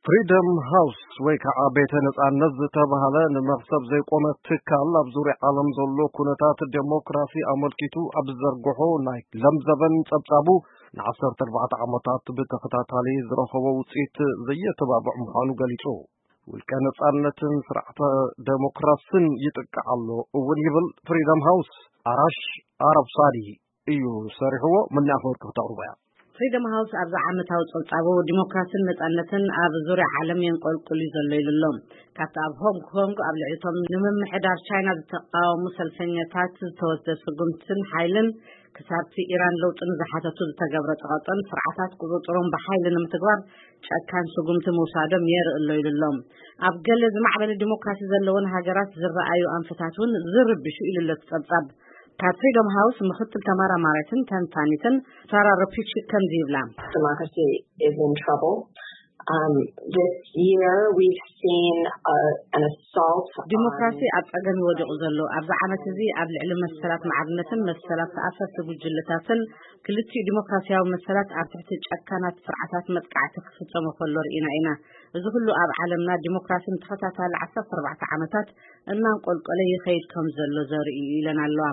ፍሪደም ሃውስ ወይ ከዓ ቤተ ነፃነት ዝተባህለ ንመኽሰብ ዘይቆመ ትካል ኣብ ዙርያ ዓለም ዘሎ ኩነታት ዴሞክራሲ ኣመልኪቱ ኣብ ዘርግሖ ናይ ለምዘበን ጸብጻቡ ንዓሰርተ ኣርባዕተ ዓመታት ብተኸታታሊ ዝረኸቦ ውፅኢት ዘየተባብዕ ምዃኑ ገሊጹ። ውልቀ ነፃነትን ስርዓተ ዴሞክራስን ይጥቃዕ ኣሎ እውን ይብል ፍሪደም ሃውስ። ኣራሽ ኣረብ ሳዲ እዩ ሰሪሕዎ። ምኒ ኣፈወርቂ ክተቕርቦ እያ። ፍሪደም ሃውስ ኣብዚ ዓመታዊ ጸብጻቡ ዲሞክራስን ነጻነትን ኣብ ዙርያ ዓለም የንቆልቁል እዩ ዘሎ ኢሉ ኣሎ። ካብቲ ኣብ ሆንግ ኮንግ ኣብ ልዕሊ እቶም ንምምሕዳር ቻይና ዝተቃወሙ ሰልፈኛታት ዝተወስደ ስጉምትን ሓይልን ክሳብቲ ኢራን ለውጥን ዝሓተቱ ዝተገብረ ጸቐጥን ስርዓታት ቁጽጽሮም ብሓይሊ ንምትግባር ጨካን ስጉምቲ ምውሳዶም የርኢ ኣሎ ኢሉ ኣሎ። ኣብ ገለ ዝማዕበለ ዲሞክራሲ ዘለወን ሃገራት ዝረኣዩ ኣንፈታት እውን ዝርብሹ ኢሉ ኣሎ እቲ ጸብጻብ። ካብ ፍሪደም ሃውስ ምኽትል ተመራማሪትን ተንታኒትን ሳራ ረፒቺ ከምዚ ይብላ። Democracy is in trouble. Um, this year we've seen uh, an assault. ዲሞክራሲ ኣብ ጸገም ይወድቑ ዘሎ ኣብዚ ዓመት እዚ ኣብ ልዕሊ መሰላት ማዕርነትን መሰላት ተኣፈርቲ ጉጅለታትን ክልቲኡ ዲሞክራሲያዊ መሰላት ኣብ ትሕቲ ጨካናት ስርዓታት መጥቃዕቲ ክፍጸሙ ከሎ ርኢና ኢና። እዚ ኩሉ ኣብ ዓለምና ዲሞክራሲ ንተኸታታሊ ዓሰርተ ኣርባዕተ ዓመታት እናንቆልቆለ ይኸይድ ከም ዘሎ ዘርኢ እዩ ኢለን ኣለዋ።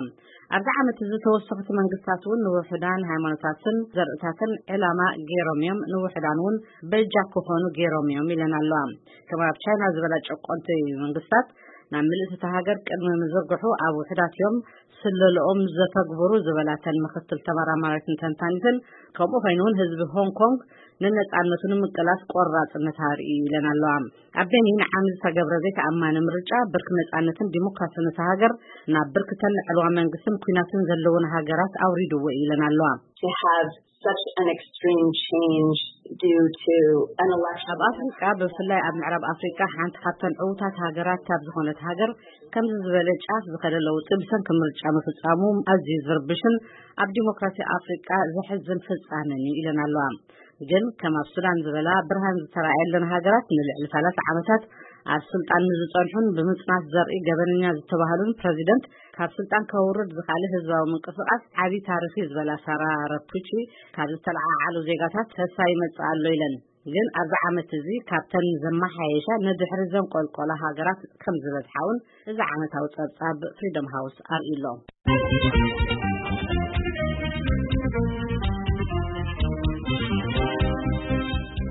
ኣብዚ ዓመት እዚ ተወሰኽቲ መንግስታት እውን ንውሑዳን ሃይማኖታትን ዘርእታትን ዕላማ ገይሮም እዮም፣ ንውሑዳን እውን በጃ ክኾኑ ገይሮም እዮም ኢለን ኣለዋ። ከም ኣብ ቻይና ዝበላ ጨቆንቲ መንግስታት ናብ ምልእቲ እታ ሃገር ቅድሚ ምዝርግሑ ኣብ ውሑዳት እዮም ስለለኦም ዘተግብሩ ዝበላተን ምኽትል ተመራማሪትን ተንታኒትን፣ ከምኡ ኮይኑ እውን ህዝቢ ሆንግ ኮንግ ንነጻነቱ ንምቅላስ ቆራጽነት ኣርእዩ ኢለን ኣለዋ። ኣብ ቤኒን ዓሚ ዝተገብረ ዘይተኣማኒ ምርጫ ብርክ ነጻነትን ዲሞክራስን እታ ሃገር ናብ ብርክ ተን ዕልዋ መንግስትን ኩናትን ዘለውን ሃገራት ኣውሪድዎ ኢለን ኣለዋ። They have such an extreme change due to an election. ኣብ ኣፍሪቃ ብፍላይ ኣብ ምዕራብ ኣፍሪቃ ሓንቲ ካብተን ዕዉታት ሃገራት ካብ ዝኾነት ሃገር ከምዚ ዝበለ ጫፍ ዝኸደ ለውጢ ብሰንኪ ምርጫ ምፍጻሙ ኣዝዩ ዝርብሽን ኣብ ዲሞክራሲ ኣፍሪቃ ዘሕዝን ፍጻመን እዩ ኢለን ኣለዋ። ግን ከም ኣብ ሱዳን ዝበላ ብርሃን ዝተራእየለን ሃገራት ንልዕሊ ሰላሳ ዓመታት ኣብ ስልጣን ንዝጸንሑን ብምጽናት ዘርኢ ገበነኛ ዝተባህሉን ፕረዚደንት ካብ ስልጣን ከውርድ ዝኻለ ህዝባዊ ምንቅስቃስ ዓቢ ታሪኽ እዩ ዝበላ ሳራ ረፑቺ፣ ካብ ዝተለዓዓሉ ዜጋታት ተስፋ ይመጽእ ኣሎ ኢለን። ግን ኣብዚ ዓመት እዚ ካብተን ዘመሓየሻ ንድሕሪ ዘንቆልቆላ ሃገራት ከም ዝበዝሓ እውን እዚ ዓመታዊ ጸብጻብ ፍሪደም ሃውስ ኣርእዩ ኣሎ።